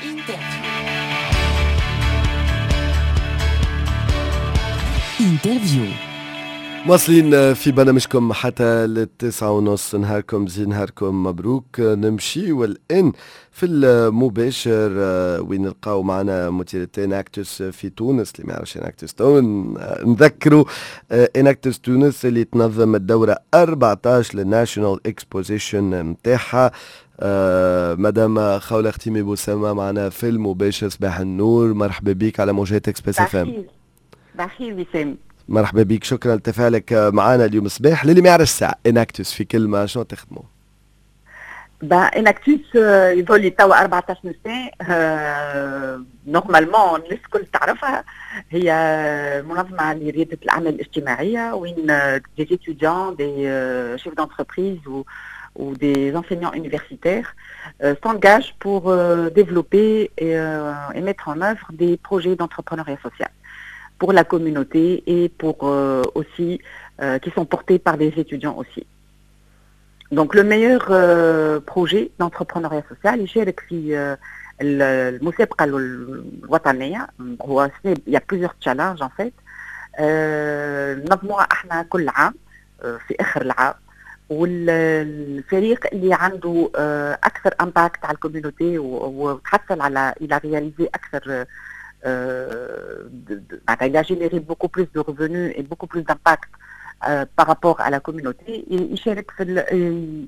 Interview. Interview. مواصلين في برنامجكم حتى لل9:30. نهاركم زين، نهاركم مبروك. نمشي والآن في المباشر وين نلقاو معنا مديرة Enactus في تونس. اللي ما يعرفش Enactus تو نذكروا، Enactus تونس اللي تنظم الدورة 14 لل National Exposition نتاعها. مدام خولة ختيمي بوسامة معنا في المباشر. صباح النور، مرحبا بك على موجات Express FM. صباح الخير وسام. مرحبا بك، شكرا لتفاعلك معنا اليوم الصباح. للي ما يعرفش ساعة Enactus في كلمة شنو تخدموا؟ با Enactus يظل توا 14 سنة، normalement الناس الكل تعرفها، هي منظمة لريادة الأعمال الاجتماعية وين des étudiants، des chefs d'entreprise ou des enseignants universitaires s'engagent pour développer et mettre en œuvre des projets d'entrepreneuriat social pour la communauté et pour aussi qui sont portés par des étudiants aussi. Donc le meilleur projet d'entrepreneuriat social يشارك في المسابقة الوطنية. هو il y a plusieurs challenges en fait، نظموها احنا كل عام في اخر العام، والفريق اللي عنده اكثر impact على ال communauté وتحصل على il a réalisé اكثر، معناتها il a généré beaucoup plus de revenus et beaucoup plus d'impact par rapport à la communauté، يشارك في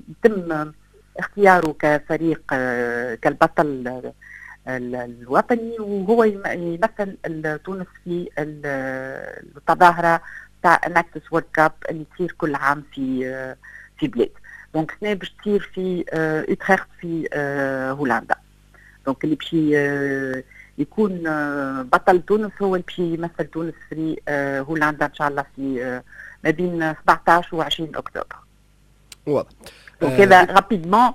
يتم اختياره كفريق كالبطل الوطني، وهو يمثل تونس في التظاهرة تاع Enactus World Cup اللي تصير كل عام في بلاد. donc السنة باش تصير في اوتريخت في هولندا. donc اللي باش يكون بطل تونس هو اللي باش يمثل تونس في هولندا ان شاء الله في ما بين 17 و 20 اكتوبر. واضح. donc هذا rapidement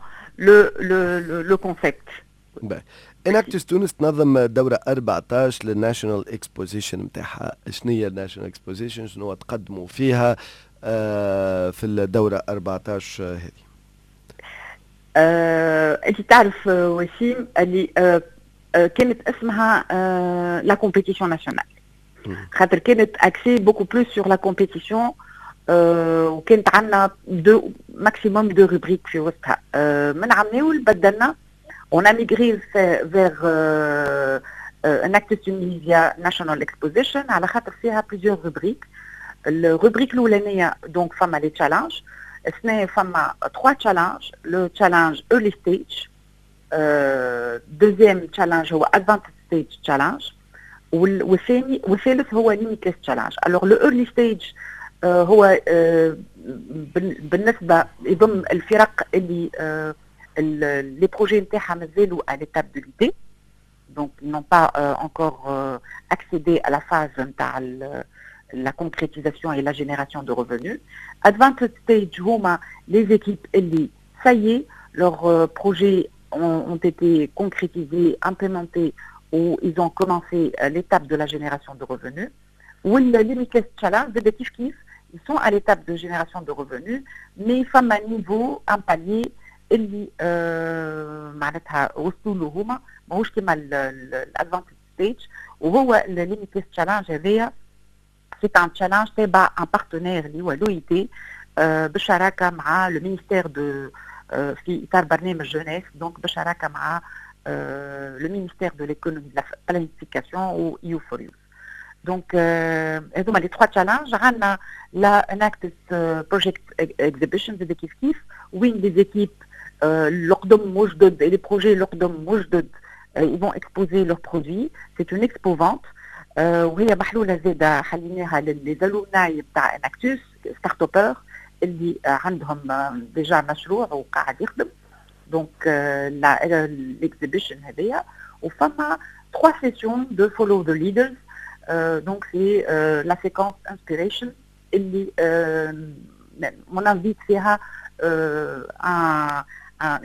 le concept. Enactus تونس تنظم دورة 14 لل National Exposition نتاعها. شنو هي ال National Exposition؟ شنو تقدموا فيها في الدورة 14 هذه؟ انت تعرف وسيم اللي كانت اسمها la compétition nationale خاطر كانت axée beaucoup plus sur la compétition، وكانت عندنا deux maximum deux rubriques في وسطها. من عام بدلنا، on a migré vers Enactus Tunisia National Exposition على خاطر فيها plusieurs rubriques. ال rubrique الاولانية donc فما les challenges. السنة فما 3 challenges: le challenge early stage، deuxième challenge هو advanced stage challenge، والثاني والثالث هو limitless challenge. alors le early stage هو بالنسبة يضم الفرق اللي les projets نتاعها مازالوا à l'étape de l'idée، donc ils n'ont pas encore accédé à la phase نتاع la concrétisation et la génération de revenus. Advanced stage هما les équipes اللي ça y est، leurs projets ont été concrétisés، implémentés ou ils ont commencé l'étape de la génération de revenus. وال Limitless Challenge زاد كيف كيف، ils sont à l'étape de génération de revenus، mais فما niveau، un palier اللي معناتها وصلوا له هما ماهوش كيما ال advanced stage. وهو ال Limitless Challenge هذايا c'est un challenge تابع un partenaire اللي هو l'OIT بالشراكة مع le ministère de في اطار برنامج Jeunesse، donc بالشراكة مع le ministère de l'économie، de la planification و EU4Youth. donc هذوما les trois challenges. عندنا la Enactus Project Exhibition زاد كيف كيف، وين les équipes القدم وجدد، les projets القدم وجدد، ils vont exposer leurs produits. c'est une expo vente وهي محلولة زاده، حليناها les alumni بتاع Enactus startuppeurs اللي عندهم déjà مشروع وقاعد يخدم. donc l'exhibition هذيا، وفما trois sessions de follow the leaders، donc c'est la séquence inspiration اللي on invite فيها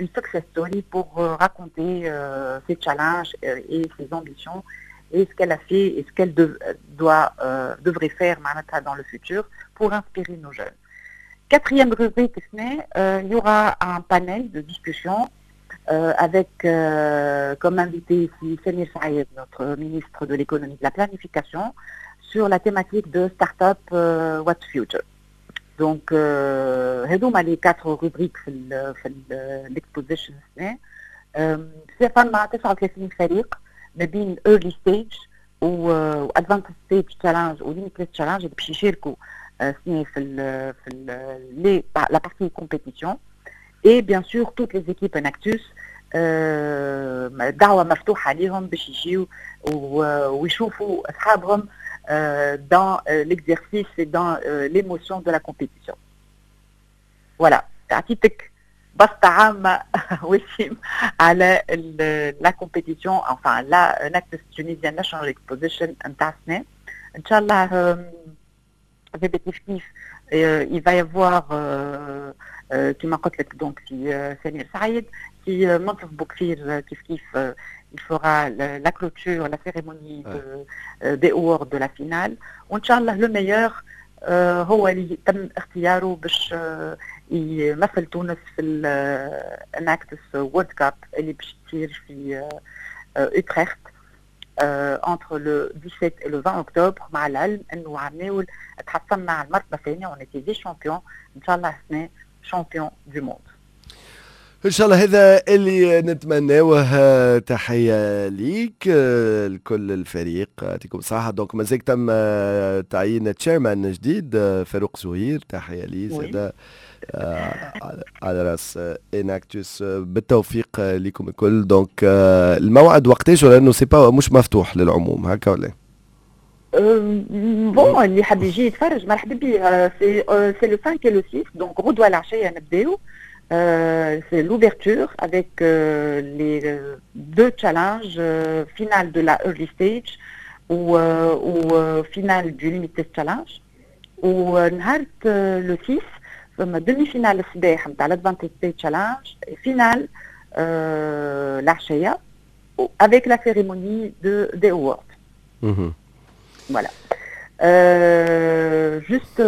une success story pour raconter ses challenges et ses ambitions et ce qu'elle a fait et ce qu'elle doit devrait faire معناتها dans le futur pour inspirer nos jeunes. Quatrième rubrique, il y aura un panel de discussion. avec comme invité ici Samir Saïd, notre ministre de l'économie et de la planification, sur la thématique de Startup What's Future. Donc, هذوما les quatre rubriques في l'exposition. فما 39 فريق ما بين early stage و advanced stage challenge و limitless challenge اللي باش يشاركوا سنة في la partie compétition, et bien sûr toutes les équipes Enactus, دعوة مفتوحة لهم باش يجيو ويشوفوا أصحابهم dans l'exercice et dans l'émotion de la compétition. Voilà, عطيتك بسطة عامة وسيم على la compétition, enfin la Enactus Tunisia National Exposition نتاع السنة. إن شاء الله كيف كيف il va y avoir كما قلت لك donc سي سمير سعيد, سي منصف بوكفير كيف كيف il fera la clôture, la cérémonie des awards de la finale. وإن شاء الله le meilleur هو اللي تم اختياره باش يمثل تونس في ال Enactus World Cup اللي باش تصير في Utrecht entre le 17 et le 20 octobre. مع العلم انه عمناول تحصلنا على المرتبه الثانيه, on était vice-champion, ان شاء الله السنه champion du monde. ان شاء الله هذا اللي نتمناوه. تحيه ليك, لكل الفريق, يعطيكم الصحه. donc مازال تم تعيين chairman جديد, فاروق زهير, تحيه لي زاد على راس Enactus. بالتوفيق لكم الكل. donc الموعد وقتاش؟ ولا انه c'est pas مش مفتوح للعموم هكا ولا؟ bon, اللي حاب يجي يتفرج مرحبا بيه. c'est le 5 et le 6, donc غدوه العشيه نبداو. C'est l'ouverture avec les deux challenges, finale de la early stage ou finale du limitless challenge. ونهار le 6 فما demi-finale الصباح نتاع l'advanced stage challenge, finale العشيه avec la cérémonie des awards. Voilà. Juste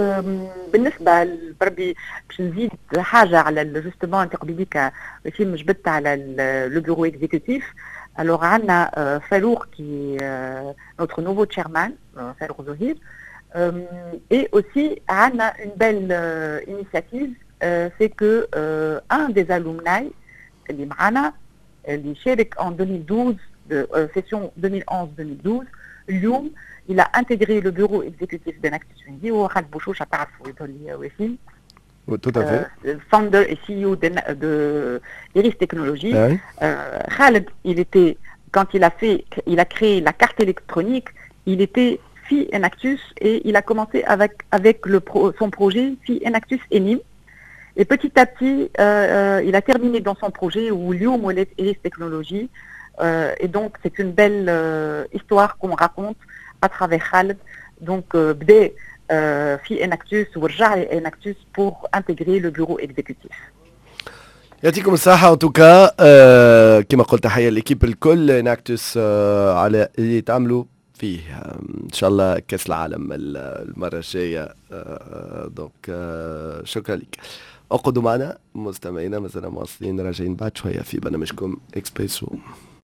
بالنسبه بربي باش نزيد حاجه على justement انت قبيليك وسيم جبدت على le bureau exécutif. Alors عندنا فاروق qui notre nouveau chairman, فاروق زهير, et aussi عندنا une belle initiative, c'est que un des alumni اللي معانا اللي شارك en 2012, session 2011-2012, اليوم il a intégré le bureau exécutif d'Enactus Tunisie, هو خالد بوشوشة, تعرفوا يظهر لي وسيم. Tout à fait. Founder et CEO de Iris Technologies. Khaled, il était, quand il a créé la carte électronique, il était في Enactus et il a commencé avec son projet في Enactus ENIM. Et petit à petit, il a terminé dans son projet و اليوم ولات Iris Technologies. Et donc, c'est une belle histoire qu'on raconte à travers Khaled. Donc, بدا في Enactus ورجع Enactus pour intégrer le bureau exécutif. يعطيكم الصحة en tout cas, كما قلت تحية l'équipe الكل Enactus على اللي تعملوا فيه. ان شاء الله كاس العالم المرة الجاية. Donc شكرا لك. اقعدوا معنا مستمعينا, مازلنا مواصلين راجعين بعد شوية في برنامجكم اكسبريسو.